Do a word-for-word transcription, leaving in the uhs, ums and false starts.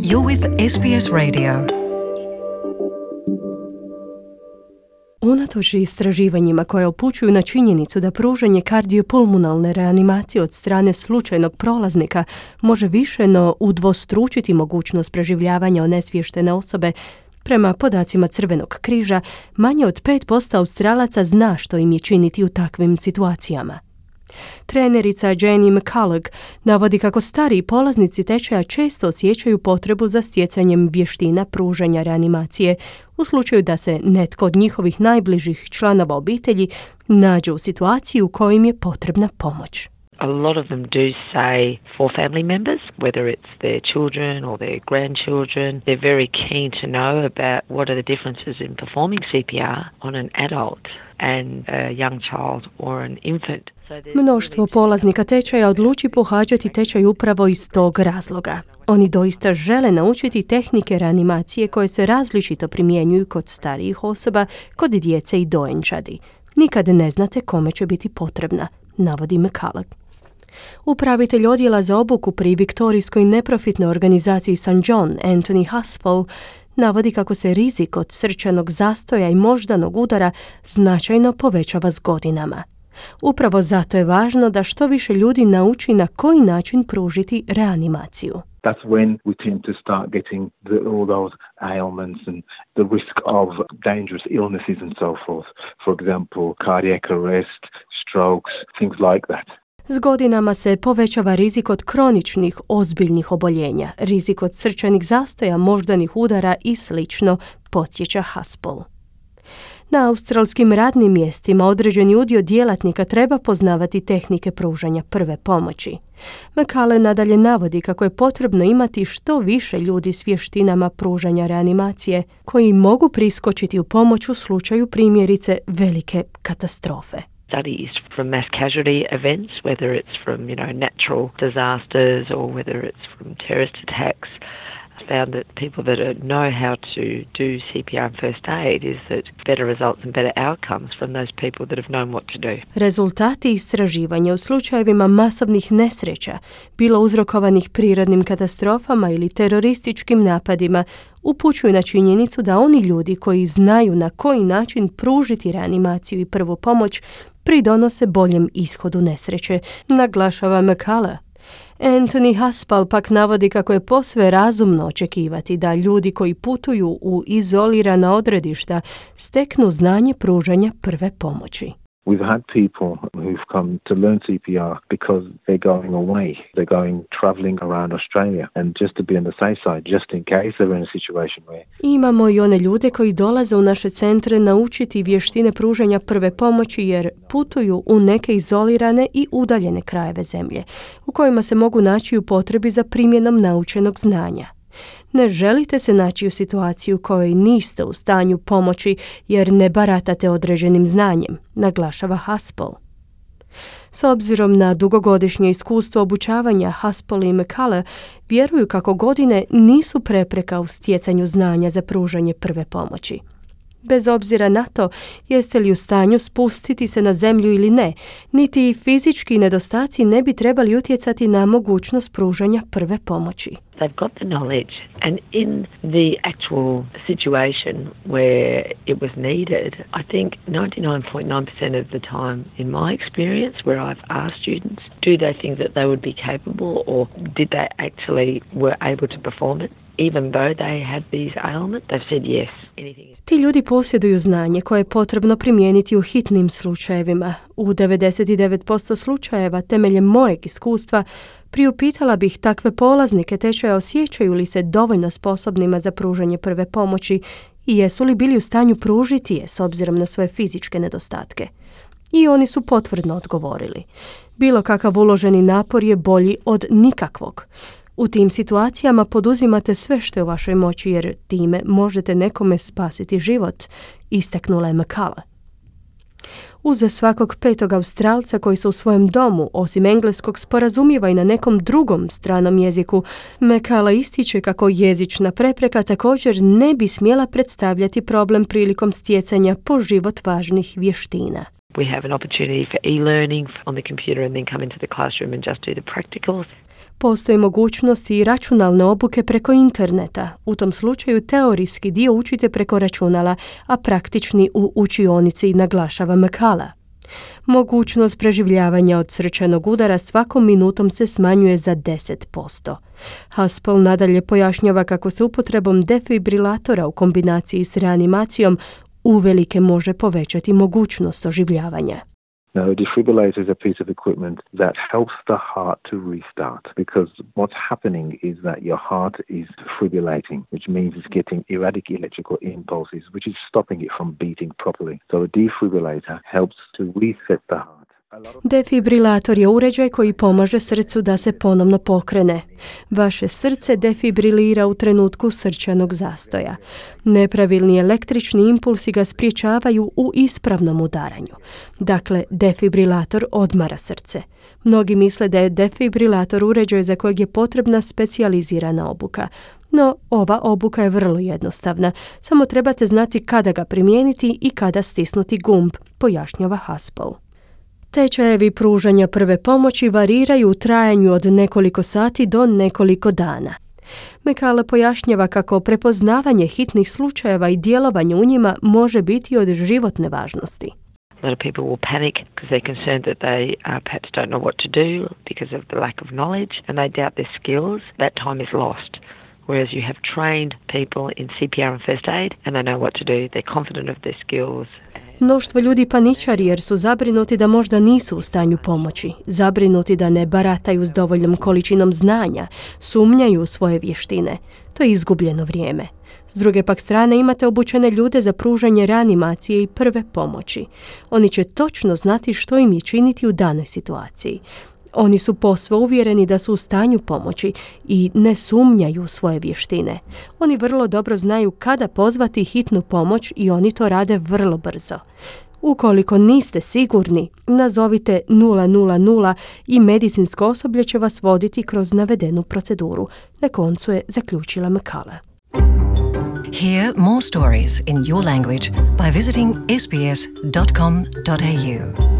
You're with S B S Radio. Unatoč istraživanjima koje upućuju na činjenicu da pružanje kardiopulmonalne reanimacije od strane slučajnog prolaznika može više no udvostručiti mogućnost preživljavanja onesviještene osobe, prema podacima Crvenog križa, manje od pet posto Australaca zna što im je činiti u takvim situacijama. Trenerica Jenny McCulloch navodi kako stariji polaznici tečaja često osjećaju potrebu za stjecanjem vještina pružanja reanimacije u slučaju da se netko od njihovih najbližih članova obitelji nađe u situaciji u kojoj im je potrebna pomoć. A lot of them do say for family members, whether it's their children or their grandchildren, they're very keen to know about what are the differences in performing C P R on an adult and a young child or an infant. Mnoštvo polaznika tečaja odluči pohađati tečaj upravo iz tog razloga. Oni doista žele naučiti tehnike reanimacije koje se različito primjenjuju kod starijih osoba, kod djece i dojenčadi. Nikad ne znate kome će biti potrebna, navodi McCulloch. Upravitelj odjela za obuku pri viktorijskoj neprofitnoj organizaciji Saint John, Anthony Haspel, navodi kako se rizik od srčanog zastoja i moždanog udara značajno povećava s godinama. Upravo zato je važno da što više ljudi nauči na koji način pružiti reanimaciju. That's when we tend to start getting the, all those ailments and the risk of dangerous illnesses and so forth. For example, cardiac arrest, strokes, things like that. S godinama se povećava rizik od kroničnih, ozbiljnih oboljenja, rizik od srčanih zastoja, moždanih udara i slično, podsjeća Haspel. Na australskim radnim mjestima određeni udio djelatnika treba poznavati tehnike pružanja prve pomoći. McCulloch nadalje navodi kako je potrebno imati što više ljudi s vještinama pružanja reanimacije koji mogu priskočiti u pomoć u slučaju primjerice velike katastrofe. Studies from mass casualty events, whether it's from, you know, natural disasters or whether it's from terrorist attacks, found that people that know how to do C P R and first aid is that better results and better outcomes from those people that have known what to do. Rezultati istraživanja u slučajevima masovnih nesreća, bilo uzrokovanih prirodnim katastrofama ili terorističkim napadima, upućuju na činjenicu da oni ljudi koji znaju na koji način pružiti reanimaciju i prvu pomoć pridonose boljem ishodu nesreće, naglašava McCulloch. Anthony Haspel pak navodi kako je posve razumno očekivati da ljudi koji putuju u izolirana odredišta steknu znanje pružanja prve pomoći. We've had people who've come to learn C P R because they're going away. They're going traveling around Australia and just to be on the safe side, just in case they're in a situation where... Imamo i one ljude koji dolaze u naše centre naučiti vještine pružanja prve pomoći jer putuju u neke izolirane i udaljene krajeve zemlje, u kojima se mogu naći u potrebi za primjenom naučenog znanja. Ne želite se naći u situaciji u kojoj niste u stanju pomoći jer ne baratate određenim znanjem, naglašava Haspel. S obzirom na dugogodišnje iskustvo obučavanja, Haspel i McCulloch vjeruju kako godine nisu prepreka u stjecanju znanja za pružanje prve pomoći. Bez obzira na to jeste li u stanju spustiti se na zemlju ili ne, niti fizički nedostaci ne bi trebali utjecati na mogućnost pružanja prve pomoći. They've got the knowledge and in the actual situation where it was needed, I think ninety-nine point nine percent of the time in my experience where I've asked students, do they think that they would be capable or did they actually were able to perform it? Even though they had these ailments, they've said yes. Anything is... Ti ljudi posjeduju znanje koje je potrebno primijeniti u hitnim slučajevima. U devedeset devet posto slučajeva, temeljem mojeg iskustva, priupitala bih takve polaznike tečaja osjećaju li se dovoljno sposobnima za pružanje prve pomoći i jesu li bili u stanju pružiti je s obzirom na svoje fizičke nedostatke. I oni su potvrdno odgovorili. Bilo kakav uloženi napor je bolji od nikakvog. U tim situacijama poduzimate sve što je u vašoj moći jer time možete nekome spasiti život, istaknula je McCulloch. Uz svakog petog Australca koji se u svojem domu, osim engleskog, sporazumijeva i na nekom drugom stranom jeziku, McCulloch ističe kako jezična prepreka također ne bi smjela predstavljati problem prilikom stjecanja po život važnih vještina. We have an opportunity for e-learning on the computer and then come into the classroom and just do the practicals. Postoji mogućnost i računalne obuke preko interneta. U tom slučaju teorijski dio učite preko računala, a praktični u učionici, naglašava McCullough. Mogućnost preživljavanja od srčanog udara svakom minutom se smanjuje za deset posto. Haspel nadalje pojašnjava kako se upotrebom defibrilatora u kombinaciji s reanimacijom uvelike može povećati mogućnost oživljavanja. Now, a defibrillator is a piece of equipment that helps the heart to restart, because what's happening is that your heart is fibrillating, which means it's getting erratic electrical impulses, which is stopping it from beating properly. So a defibrillator helps to reset the heart. Defibrilator je uređaj koji pomaže srcu da se ponovno pokrene. Vaše srce defibrilira u trenutku srčanog zastoja. Nepravilni električni impulsi ga spriječavaju u ispravnom udaranju. Dakle, defibrilator odmara srce. Mnogi misle da je defibrilator uređaj za kojeg je potrebna specijalizirana obuka. No, ova obuka je vrlo jednostavna. Samo trebate znati kada ga primijeniti i kada stisnuti gumb, pojašnjava Haspel. Tečajevi pružanja prve pomoći variraju u trajanju od nekoliko sati do nekoliko dana. McCullough pojašnjava kako prepoznavanje hitnih slučajeva i djelovanje u njima može biti od životne važnosti. A lot of people will panic because they're concerned that they uh, perhaps don't know what to do because of the lack of knowledge, and they doubt their skills. That time is lost. Whereas you have trained people in C P R and first aid and they know what to do, they're confident of their skills. Mnoštvo ljudi paničari jer su zabrinuti da možda nisu u stanju pomoći, zabrinuti da ne barataju s dovoljnom količinom znanja, sumnjaju u svoje vještine. To je izgubljeno vrijeme. S druge pak strane imate obučene ljude za pružanje reanimacije i prve pomoći. Oni će točno znati što im je činiti u danoj situaciji. Oni su posve uvjereni da su u stanju pomoći i ne sumnjaju u svoje vještine. Oni vrlo dobro znaju kada pozvati hitnu pomoć i oni to rade vrlo brzo. Ukoliko niste sigurni, nazovite nula nula nula i medicinsko osoblje će vas voditi kroz navedenu proceduru. Na koncu je zaključila McCullough. Hear more stories in your language by visiting s b s dot com dot a u.